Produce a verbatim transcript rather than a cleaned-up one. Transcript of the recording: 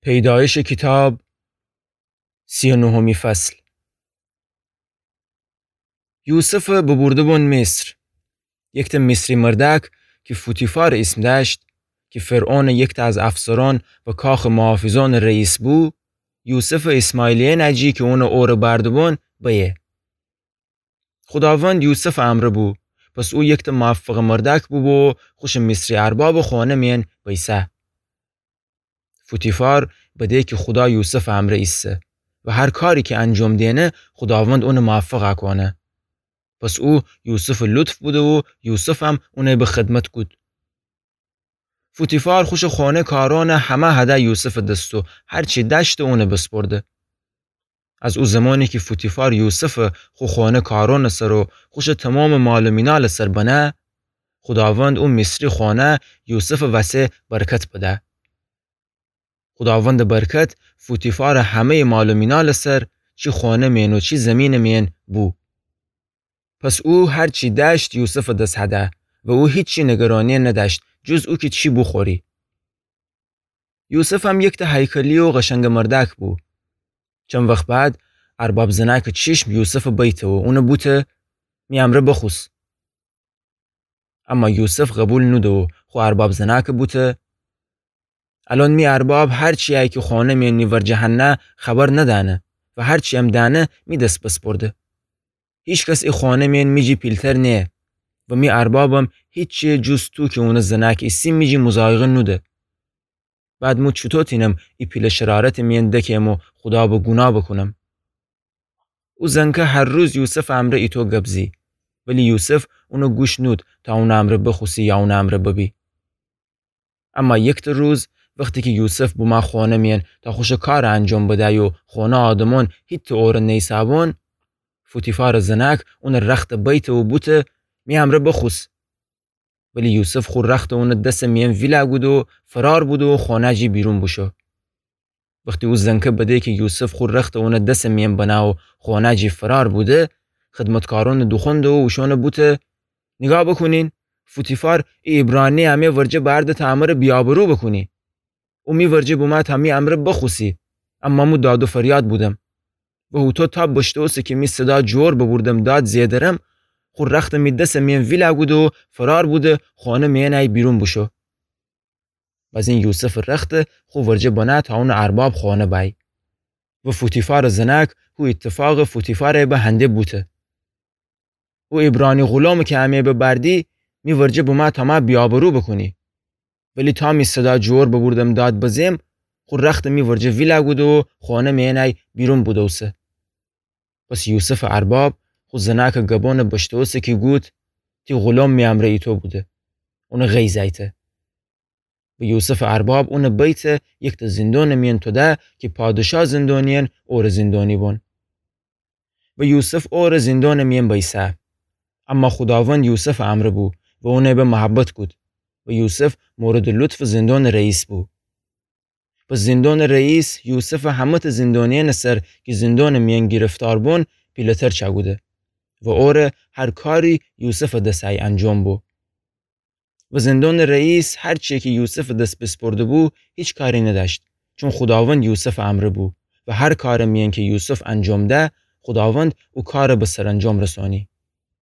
پیدایش کیتاب، سی و نهمی فصل. یوسفٚ ببورده‌بون مصر. یکتأ مصری مردأک کی فوتیفارٚ ایسم دأشت، کی فرعونٚ یکتأ از افسرأن و کاخٚ محافظأنٚ رئیس بو، یوسفٚ ایسماعیلیه نجی کی اونٚ اوره بأرده‌بون بیه. خوداوند یوسفٚ امرأ بو، پس او یکتأ موفقٚ مردأک بوبو و خوشٚ مصری اربابٚ خانه میأن بیسه. فوتیفار بده کی خودا یوسفٚ امرأ ایسه و هر کاری کی انجام دینه، خوداوند اونٚ موفق کونه. پس او یوسفٚ لطف بوده و یوسفم اونٚ به خدمت کود. فوتیفار خوشٚ خانه کارأن همه هده یوسفٚ دس و هر چی دأشته اونٚ بسپرده. از او زمانی کی فوتیفار یوسف خو خانه کارأنٚ سر و خوشٚ تومامٚ مال و مینالٚ سر بنه، خوداوند او مصری خانه یوسفٚ وسه برکت بده. خوداوندٚ برکت فوتیفارٚ همه‌یٚ مال و مینالٚ سر، چی خانه میأن و چی زیمینٚ میأن بو. پس او هر چی دأشت یوسفٚ دس هده و او هیچی نگرانی ندأشت جز او کی چی بوخوری. یوسفم یکتأ هیکلی و قشنگٚ مردأک بو. چند وخت بعد ارباب زنأکٚ چشم یوسفٚ بیته و اونٚ بوته: می امرأ بخوس. اما یوسف قبول نوده و خو ارباب زنأکٚ بوته: الأن می ارباب هر چیی کی خانه میأن می ورجه هنه خبر ندأنه و هر چییم دأنه می دس بسپرده. هیکس ای خانه میأن می جی پیلتر نییه و می اربابم هیچی جز تو کی اونٚ زنأک ایسی می جی مضایقه نوده. بعد مو چوطو تینم ای پیله شرارتٚ میأن دکم و خودا به گونا بکونم؟ او زنکه هر روز یوسفٚ امرأ ایتو گب زی، ولی یوسف اونٚ گوش نود تا اونٚ امرأ بخوسی یا اونٚ امرأ ببی. اما یکتأ روز وختی کی یوسف بمه خانه میأن تا خوشٚ کارٚ انجام بدیی و خانه آدمأن هیتأ اوره نیسه‌بون، فوتیفارٚ زنأک اونٚ رختٚ بیته و بوته: می امرأ بخوس. ولی یوسف خو رختٚ اونٚ دسٚ میأن ویله کوده و فرار بوده و خانه جی بیرون بوشو. وختی او زنکه بده کی یوسف خو رختٚ اونٚ دسٚ میأن بنه و خانه جی فرار بوده، خدمتکارأنٚ دوخوأنده و اوشأنٚ بوته: نیگاه بوکونین، فوتیفار ای عبرانیی امه ورجه بأرده تا امره بی‌آبرو بوکونی. او می ورجه بمه تا می امرأ بخوسی، اما مو داد و فریاد بودم. و هوطو تاب بشتوسه کی می صدا جور ببوردم داد زئدرم، خو رختٚ می دسٚ میأن ویله کوده و فرار بوده خانه میأنی بیرون بوشو. بزین یوسفٚ رخت خو ورجه بنه تا اونٚ ارباب خانه بأی. و فوتیفارٚ زنأک هو ایتفاق فوتیفارٚ به هنده بوته: او عبرانی غلامٚ کی امه ببردی، می ورجه بمه تا مه بی‌آبرو بوکونی. ولی تا می صدا جور ببوردم داد بزم، خو رختٚ می ورجه ویله کوده و خانه میأنی بیرون بودوسه. پس یوسفٚ ارباب خو زنأکٚ گبأن بشتوسه کی گود: تی غلام می امرأ ایتو بوده. اونٚ غیظ ایته. و یوسفٚ ارباب اونٚ بیته یکتأ زندانٚ میأن توده کی پادشا زندانیأن اورٚ زندانی بون. و یوسف اورٚ زندانٚ میأن بیسه. اما خوداوند یوسفٚ امرأ بو و اونٚ به محبت کود. و یوسف موردٚ لطفٚ زندانٚ رئیس بو. پس زندانٚ رئیس یوسفٚ همه‌تأ زندانیأنٚ سر کی زندانٚ میأن گرفتار بون پیله‌تر چأکوده. و اوره هر کاری یوسفٚ دسه‌یی انجام بو. و زندانٚ رئیس هر چیی کی یوسفٚ دس بیسپرده بو، هیچ کاری ندأشت، چون خوداوند یوسفٚ امرأ بو و هر کارٚ میأن کی یوسف انجام ده، خوداوند او کار به سرانجام رسانی.